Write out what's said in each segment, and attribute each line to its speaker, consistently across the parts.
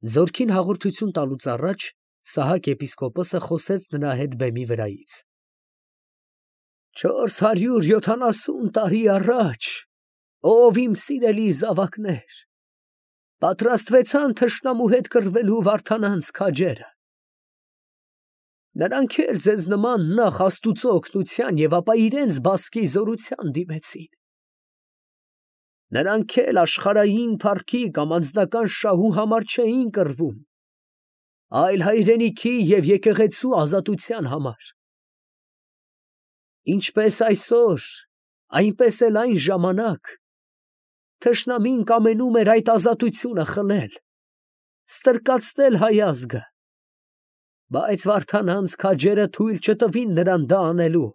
Speaker 1: Զորքին հաղորդություն տալուց առաջ Սահակ եպիսկոպոսը խոսեց նրա հետ բեմի վրայից. 470 տարի առաջ, ով իմ սիրելի զավակներ, պատրաստվեցան թշնամու հետ կռվելու Վարդանանց քաջերը. նրանք էլ ձեզ նման նախ Աստուծո օգնության և ապա իրենց բասկի զորության դիմեցին. նրանք էլ աշխարհային փառքի կամ անձնական շահու համար չէին կռվում, այլ հայրենիքի և եկեղեցու ազատության համար. ինչպես այսօր, այնպես էլ այն ժամանակ թշնամին կամենում էր այդ ազատությունը խլել, ստրկացնել հայ ազգը, բայց Վարդանանց քաջերը թույլ չտվին նրան դա անելու.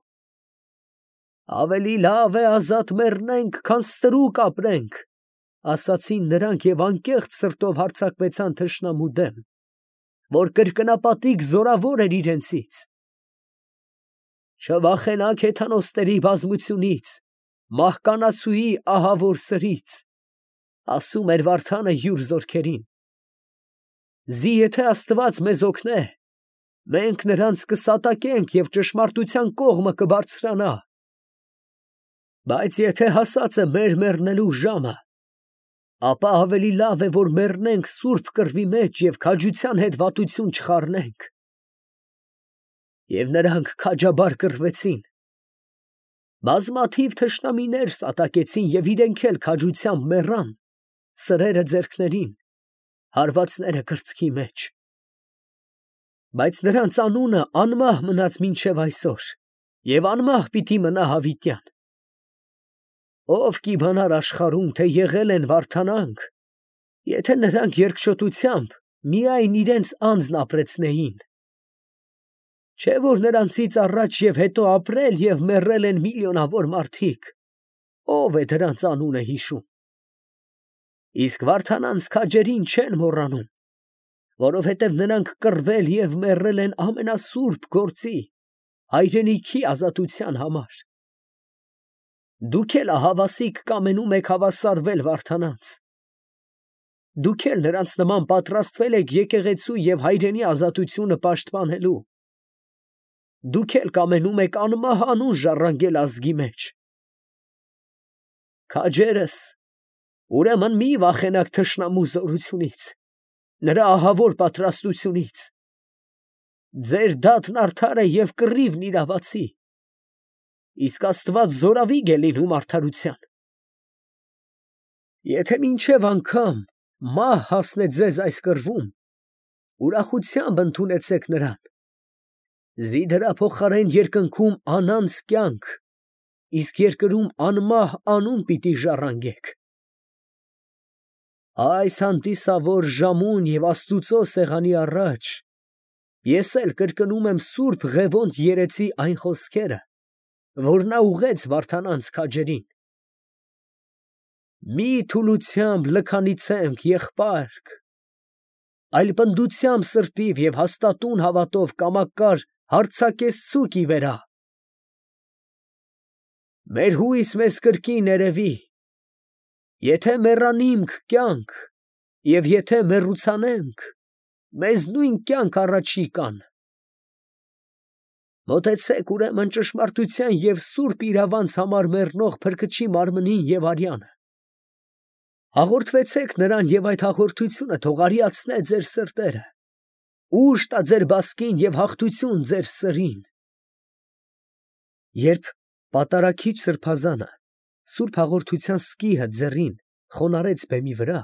Speaker 1: ավելի լավ է ազատ մեռնենք, քան ստրուկ ապրենք, ասացին նրանք և անկեղծ սրտով հարձակվեցան թշնամու դեմ, որ կրկնապատիկ զորավոր էր իրենցից. չվախենաք հեթանոսների բազմությունից, մահկանացուի ահավոր սրից, ասում էր Վարդանը յուր զորքերին. զի եթե Աստված մեզ օգնե, մենք նրանց կսատակենք և ճշմարտության կողմը կբարձրանա, բայց եթե հասած է մեր մեռնելու ժամը, ապա ավելի լավ է, որ մեռնենք սուրբ կռվի մեջ և քաջության հետ վատություն չխառնենք։ Եվ նրանք քաջաբար կռվեցին, բազմաթիվ թշնամիներ սատակեցին և իրենք էլ քաջությամբ մեռան, սրերը ձեռքներին, հարվածները կրծքի մեջ։ Բայց նրանց անունը անմահ մնաց մինչև այսօր և անմահ պիտի մնա հավիտյան։ Ով կիմանար աշխարհում, թե եղել են Վարդանանք, եթե նրանք երկչոտությամբ միայն իրենց անձն ապրեցնեին։ Չէ՞ որ նրանցից առաջ և հետո ապրել և մեռել են միլիոնավոր մարդիկ, ով է դրանց անունը հիշում։ Իսկ Վարդանանց քաջերին չեն մոռանում, որովհետև նրանք կռվել և մեռել են ամենասուրբ գործի, հայրենիքի ազատության համար։ Դուք էլ ահավասիկ կամենում եք հավասարվել Վարդանանց։ Դուք էլ նրանց նման պատրաստվել եք եկեղեցու և հայրենի ազատությունը պաշտպանելու։ Դուք էլ կամենում եք անմահ անուն ժառանգել ազգի մեջ։ Քաջերս, ուրեմն մի վախենաք թշնամու զորությունից, նրա ահավոր պատրաստությունից։ Ձեր դատն արդար է և կռիվն իրավացի, իսկ Աստված զորավիգ է լինում արդարության։ Եթե մինչև անգամ մահ հասնե ձեզ այս կռվում, ուրախությամբ ընդունեցեք նրան, զի դրա փոխարեն երկնքում անանց կյանք, իսկ երկրում անմահ անուն պիտի ժառանգեք։ Այս հանդիսավոր ժամուն և Աստուծո սեղանի առաջ ես էլ կրկնում եմ սուրբ Ղևոնդ երեցի այն խոսքերը, որ նա ուղղեց Վարդանանց քաջերին. «Մի թուլությամբ լքանիցեմք, եղբայրք, այլ պնդությամբ սրտիվ և հաստատուն հավատով կամակար հարձակեցցուք ի վերա։ Մեր հույս մեզ կրկին երևի, եթե մեռանիմք կյանք, և եթե մեռուցանենք, մեզ նույն կյանք առաջի կան։ Մոտեցեք ուրեմն ճշմարտության և սուրբ իրավանց համար մեռնող Փրկչի մարմնին և արյանը։ Հաղորդվեցեք նրան և այդ հաղորդությունը թող արիացնե ձեր սրտերը, ուժ տա ձեր բասկին և հաղթություն ձեր սրին։ Երբ պատարագիչ սրբազանը սուրբ հաղորդության սկիհը ձեռին խոնարհեց բեմի վրա,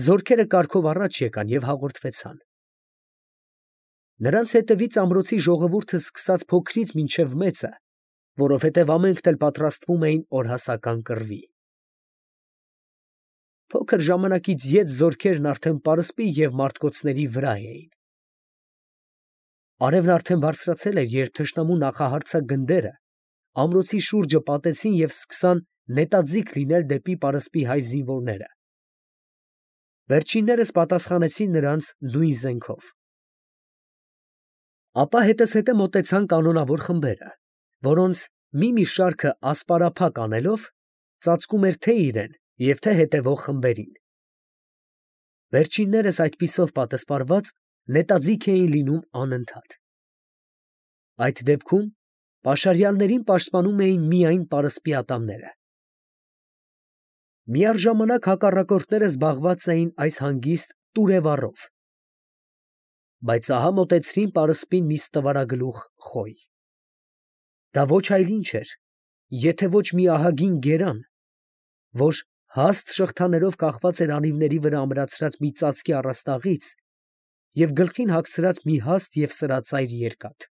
Speaker 1: զորքերը կարգով առաջ եկան և հաղորդվեցան։ Նրանց հետևից ամրոցի ժողովուրդը սկսած փոքրից մինչև մեծը, որովհետև ամենքն էլ պատրաստվում էին օրհասական կռվի։ Փոքր ժամանակից ետ զորքերն արդեն պարսպի և մարտկոցների վրա էին։ Արևն արդեն բարձրացել էր, երբ թշնամու նախահարձակ գնդերը ամրոցի շուրջը պատեցին և սկսան նետաձիգ լինել դեպի պարսպի հայ զինվորները։ Վերջիններս պատասխանեցին նրանց նույն զենքով։ Ապա հետզհետե մոտեցան կանոնավոր խմբերը, որոնց մի շարքը ասպարափակ անելով ծածկում էր թե՛ իրեն և թե՛ հետևող խմբերին։ Վերջիններս այդպիսով պատասպարված նետաձիգ էին լինում անընդհատ։ Այդ դեպքում պաշարյալներին պաշտպանում էին միայն պարսպի ատամները։ Միառժամանակ հակառակորդները զբաղված էին այս հանգիստ տուրևառով, բայց ահա մոտեցրին պարսպին մի ստվարագլուխ խոյ։ Դա ոչ այլ ինչ էր, եթե ոչ մի ահագին գերան, որ հաստ շղթաներով կախված էր անիվների վրա ամրացրած մի ծածկի առաստաղից և գլխին հագցրած մի հաստ և սրածայր երկաթ։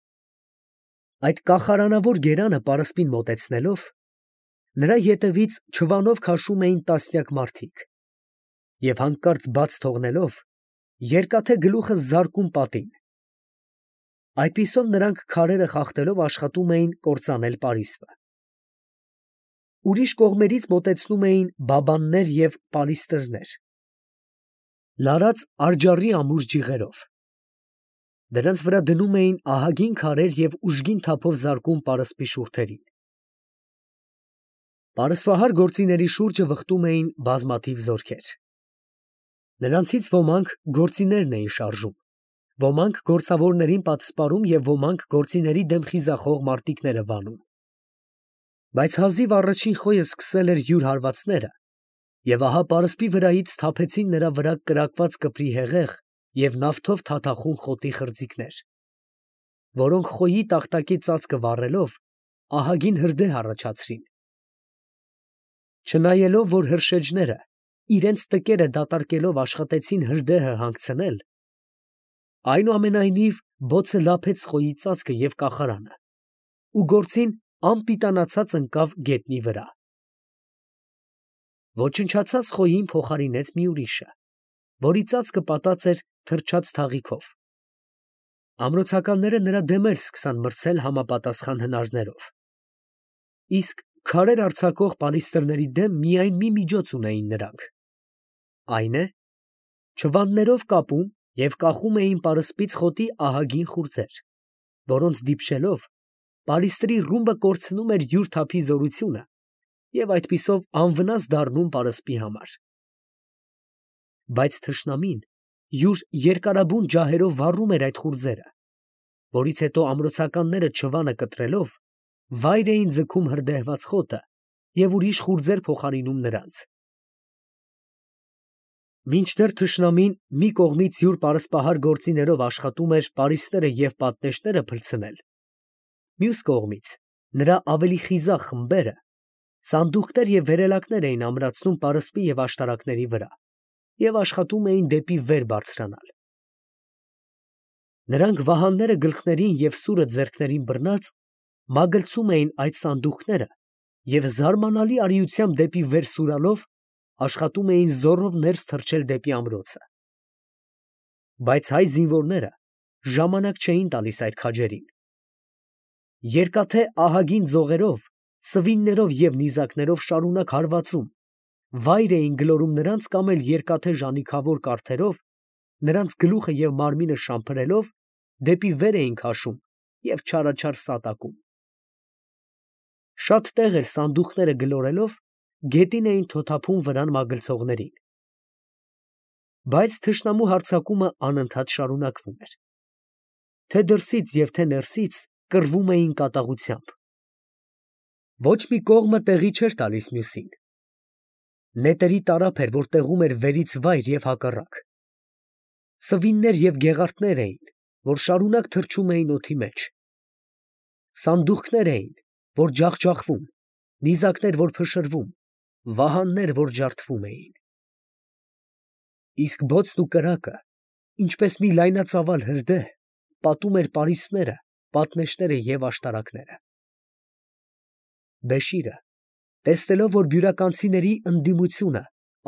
Speaker 1: Այդ կախարանավոր գերանը պարսպին մոտեցնելով, նրա ետևից չվանով քաշում էին տասնյակ մարդիկ և հանկարծ բաց թողնելով, երկաթե գլուխը զարկում պատին։ Այդպիսով նրանք քարերը խախտելով աշխատում էին կործանել պարիսպը։ Ուրիշ կողմերից մոտեցնում էին բաբաններ և պալիստրներ, լարած արջառի ամուր ջիղերով։ Դրանց վրա դնում էին ահագին քարեր և ուժգին թափով զարկում պարսպի շուրթերին։ Պարսպահար գործիների շուրջը վխտում էին բազմաթիվ զորքեր։ Նրանցից ոմանք գործիներն էին շարժում, ոմանք գործավորներին պատսպարում և ոմանք գործիների դեմ խիզախող մարտիկները վանում։ Բայց հազիվ առաջին խոյը սկսել էր յուր հարվածները, և ահա պարսպի վրայից թափեցին նրա վրա կրակված կպրի հեղեղ և նավթով թաթախուն խոտի խրձիկներ, որոնք խոյի տախտակի ծածկը վառելով ահագին հրդեհ առաջացրին։ Չնայելով, որ հրշեջները իրենց տկերը դատարկելով աշխատեցին հրդեհը հանգցնել, այնուամենայնիվ բոցը լափեց խոյի ծածկը և կախարանը, ու գործին անպիտանացած ընկավ գետնի վրա։ Ոչնչացած խոյին փոխարինեց մի ուրիշը, որի ծածկը պատած էր թրջած թաղիքով։ Ամրոցականները նրա դեմ էլ սկսան մրցել համապատասխան հնարներով, իսկ քարեր արձակող պալիստրների դեմ միայն մի միջոց ունեին նրանք, այն է, չվաններով կապում և կախում էին պարսպից խոտի ահագին խուրձեր, որոնց դիպչելով պալիստրի ռումբը կորցնում էր յուր թափի զորությունը և այդպիսով անվնաս դառնում պարսպի համար։ Բայց թշնամին յուր երկարաբուն ջահերով վառում էր այդ խուրձերը, որից հետո ամրոցականները չվանը կտրելով վայր էին ձգում հրդեհված խոտը և ուրիշ խուրձեր փոխարինում նրանց։ Մինչդեռ թշնամին մի կողմից յուր պարսպահար գործիներով աշխատում էր պարիսպները և պատնեշները փլցնել, մյուս կողմից նրա ավելի խիզախ խմբերը սանդուղքներ և վերելակներ էին ամրացնում պարսպի և աշտարակների վրա և աշխատում էին դեպի վեր բարձրանալ։ Նրանք վահանները գլխներին և սուրը ձեռքներին բռնած մագլցում էին այդ սանդուղքները և զարմանալի արիությամբ դեպի վեր սուրալով աշխատում էին զոռով ներս թռչել դեպի ամրոցը։ Բայց հայ զինվորները ժամանակ չէին տալիս այդ քաջերին։ Երկաթե ահագին ձողերով, սվիններով և նիզակներով շարունակ հարվածում, վայր էին գլորում նրանց կամ էլ երկաթե ժանիքավոր կարդերով նրանց գլուխը և մարմինը շամփրելով դեպի վեր էին քաշում և չարաչար սատակում։ Շատ տեղ էլ սանդուղքները գլորելով գետին էին թոթափում վրան մագլցողներին։ Բայց թշնամու հարձակումը անընդհատ շարունակվում էր։ Թե դրսից և թե ներսից կռվում էին կատաղությամբ։ Ոչ մի կողմը տեղի չէր տալիս մյուսին։ Նետերի տարափ էր, որ տեղում էր վերից վայր և հակառակ։ Սվիններ և գեղարդներ էին, որ շարունակ թռչում էին օդի մեջ։ Սանդուղքներ էին, որ ջախջախվում, նիզակներ, որ փշրվում, վահաններ, որ ջարդվում էին։ Իսկ բոցն ու կրակը, ինչպես մի լայնածավալ հրդեհ, պատում էր պարիսպները, պատնեշները և աշտարակները։ Բեշիրը, տեսնելով, որ բյուրականցիների ընդդիմությունը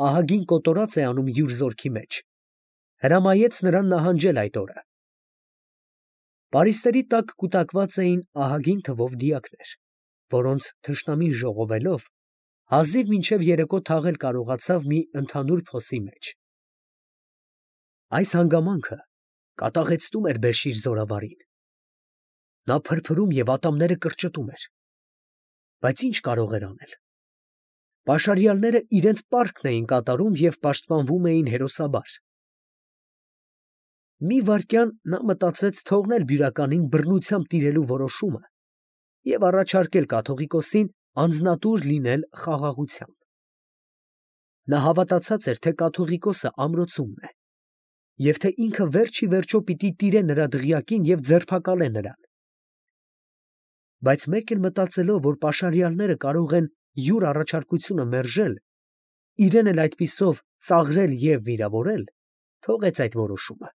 Speaker 1: ահագին կոտորած է անում յուր զորքի մեջ, հրամայեց նրան նահանջել այդ օրը։ Պարիսպերի տակ կուտակված էին ահագին թվով դիակներ, որոնց թշնամին ժողովելով հազիվ մինչև երեկո թաղել կարողացավ մի ընդհանուր փոսի մեջ։ Այս հանգամանքը կատաղեցնում էր Բեշիր զորավարին։ Նա փրփրում և ատամները կրճտում էր, բայց ինչ կարող էր անել։ Պաշարյալները իրենց պարտքն էին կատարում և պաշտպանվում էին հերոսաբար, Մի վայրկյան նա մտածեց թողնել բյուրականին բռնությամբ տիրելու որոշումը և առաջարկել կաթողիկոսին անձնատուր լինել խաղաղությամբ։ Նա հավատացած էր, թե կաթողիկոսը ամրոցումն է, և թե ինքը վերջ ի վերջո պիտի տիրե նրա դղյակին և ձերբակալե նրան։ Բայց մեկ էլ մտածելով, որ պաշարյալները կարող են յուր առաջարկությունը մերժել, իրեն էլ այդպիսով ծաղրել և վիրավորել, թողեց այդ որոշումը։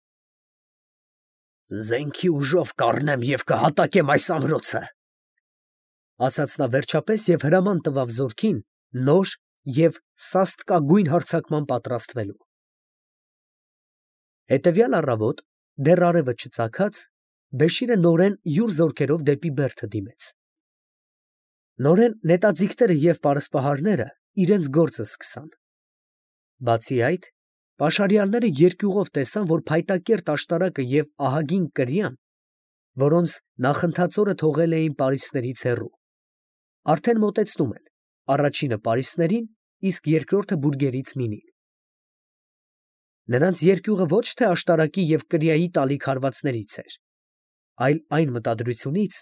Speaker 1: «Զենքի ուժով կառնեմ և կհատակեմ այս ամրոցը», ֊ ասաց նա վերջապես և հրաման տվավ զորքին նոր և սաստկագույն հարձակման պատրաստվելու։ Հետևյալ առավոտ, դեռ արևը չծագած, Բեշիրը նորեն յուր զորքերով դեպի Բերդը դիմեց։ Նորեն նետաձիգները և պարսպահարները իրենց գործը սկսան։ Բացի այդ, պաշարյալները երկյուղով տեսան, որ փայտակերտ աշտարակը և ահագին կրիան, որոնց նախընթաց օրը թողել էին պարիսպներից հեռու, արդեն մոտեցնում են, առաջինը պարիսպներին, իսկ երկրորդը բուրգերից մինին։ Նրանց երկյուղը ոչ թե աշտարակի և կրիայի տալիք հարվածներից էր, այլ այն մտադրությունից,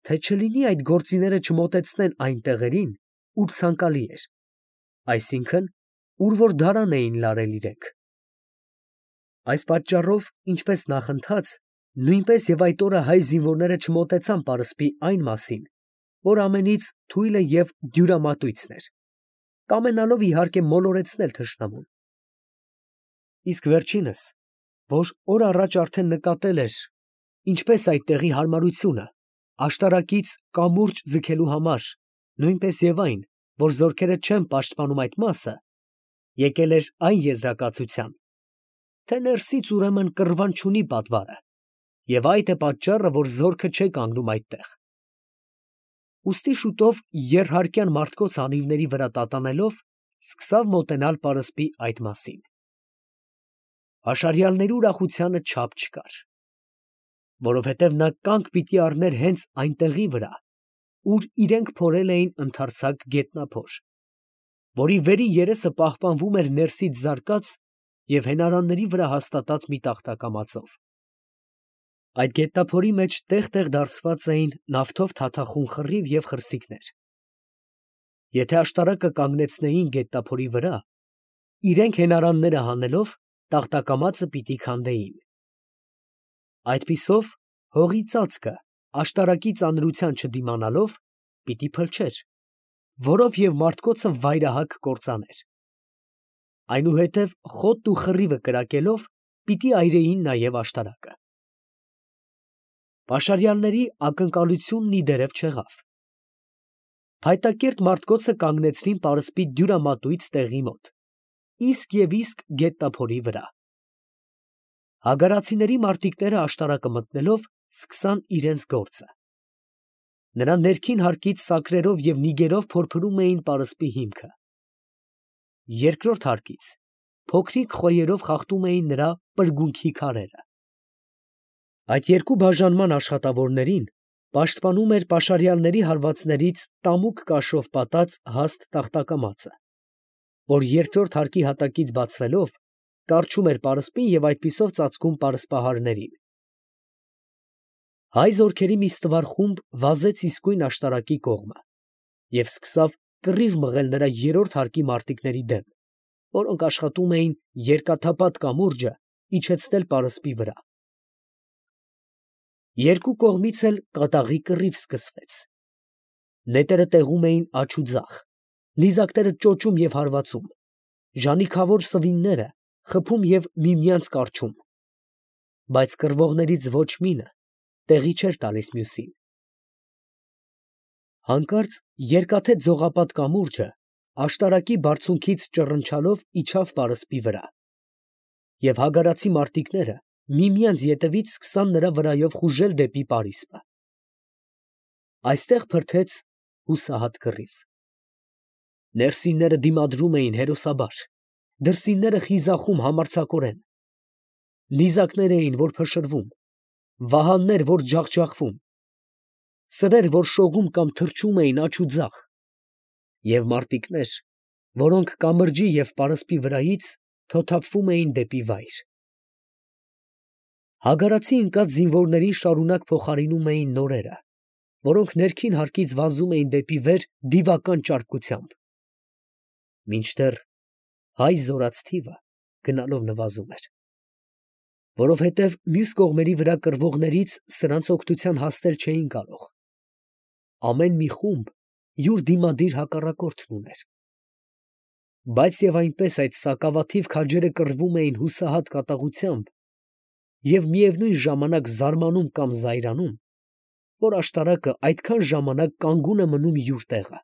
Speaker 1: թե չլինի այդ գործիները չմոտեցնեն այն տեղերին, ուր ցանկալի էր, այսինքն, ուր որ դարան էին լարել իրենք։ Այս պատճառով, ինչպես նախընթաց, նույնպես և այդ օրը հայ զինվորները չմոտեցան պարսպի այն մասին, որ ամենից թույլը և դյուրամատույցն էր, կամենալով իհարկե մոլորեցնել թշնամուն։ Իսկ վերջինս, որ օր առաջ արդեն նկատել էր, ինչպես այդ տեղի հարմարությունը աշտարակից կամուրջ ձգելու համար, նույնպես և այն, որ զորքերը չեն պաշտպանում այդ մասը, եկել էր այն եզրակացության, թե ներսից ուրեմն կռվան չունի պատվարը, և այդ է պատճառը, որ զորքը չէ կանգնում այդտեղ։ Ուստի շուտով եռհարկյան մարդկոց անիվների վրա տատանելով, սկսավ մոտենալ պարսպի այդ մասին։ Պաշարյալների ուրախությանը չափ չկար, որովհետև նա կանգ պիտի առներ հենց այն տեղի վրա, ուր իրենք փորել էին ընդարձակ գետնափոր, որի վերի երեսը պահպանվում էր ներսից զարկած և հենարանների վրա հաստատած մի տախտակամածով։ Այդ գետնափորի մեջ տեղ֊տեղ դարսված էին նավթով թաթախուն խռիվ և խրսիքներ։ Եթե աշտարակը կանգնեցնեին գետնափորի վրա, իրենք հենարանները հանելով, տախտակամածը պիտի քանդեին։ Այդպիսով հողի ծածկը աշտարակի ծանրության չդիմանալով, պիտի փլչեր, որով և մարդկոցը վայրահակ կործաներ։ Այնուհետև խոտն ու խռիվը կրակելով, պիտի այրեին նաև աշտարակը։ Պաշարյալների ակնկալությունն ի դերև չեղավ։ Փայտակերտ մարդկոցը կանգնեցրին պարսպի դյուրամատույց տեղի մոտ, իսկ և իսկ գետնափորի վրա։ Հագարացիների մարտիկները աշտարակը մտնելով, սկսան իրենց գործը։ Նրա ներքին հարկից սակրերով և նիգերով փորփրում էին պարսպի հիմքը։ Երկրորդ հարկից փոքրիկ խոյերով խախտում էին նրա պրգունքի քարերը։ Այդ երկու բաժանման աշխատավորներին պաշտպանում էր պաշարյալների հարվածներից տամուկ կաշով պատած հաստ տախտակամածը, որ երկրորդ հարկի հատակից բացվելով, կառչում էր պարսպին և այդպիսով ծածկում պարսպահարներին։ Հայ զորքերի մի ստվար խումբ վազեց իսկույն աշտարակի կողմը և սկսավ կռիվ մղել նրա երրորդ հարկի մարտիկների դեմ, որոնք աշխատում էին երկաթափատ կամուրջը իջեցնել պարսպի վրա։ Երկու կողմից էլ կատաղի կռիվ սկսվեց։ Նետերը տեղում էին աջ ու ձախ, նիզակները ճոճում և հարվածում, ժանիքավոր սվինները խփում և միմյանց կառչում, բայց կռվողներից ոչ մինը տեղի չէր տալիս մյուսին։ Հանկարծ երկաթե ձողապատ կամուրջը աշտարակի բարձունքից ճռնչալով իջավ պարսպի վրա, և հագարացի մարտիկները միմյանց ետևից սկսան նրա վրայով խուժել դեպի պարիսպը։ Այստեղ փրթեց հուսահատ կռիվ։ Ներսինները դիմադրում էին հերոսաբար, դրսինները խիզախում համարձակորեն։ Նիզակներ էին, որ փշրվում, վահաններ, որ ջախջախվում, սրեր, որ շողում կամ թռչում էին աջ ու ձախ, և մարտիկներ, որոնք կամրջի և պարսպի վրայից թոթափվում էին դեպի վայր։ Հագարացի ընկած զինվորներին շարունակ փոխարինում էին նորերը, որոնք ներքին հարկից վազում էին դեպի վեր դիվական ճարպկությամբ, մինչդեռ հայ զորաց թիվը գնալով նվազում էր, որովհետև մյուս կողմերի վրա կռվողներից սրանց օգնության հասնել չէին կարող. ամեն մի խումբ յուր դիմադիր հակառակորդն ուներ, բայց և այնպես այդ սակավաթիվ քաջերը կռվում էին հուսահատ կատաղությամբ և միևնույն ժամանակ զարմանում կամ զայրանում, որ աշտարակը այդքան ժամանակ կանգուն է մնում յուր տեղը։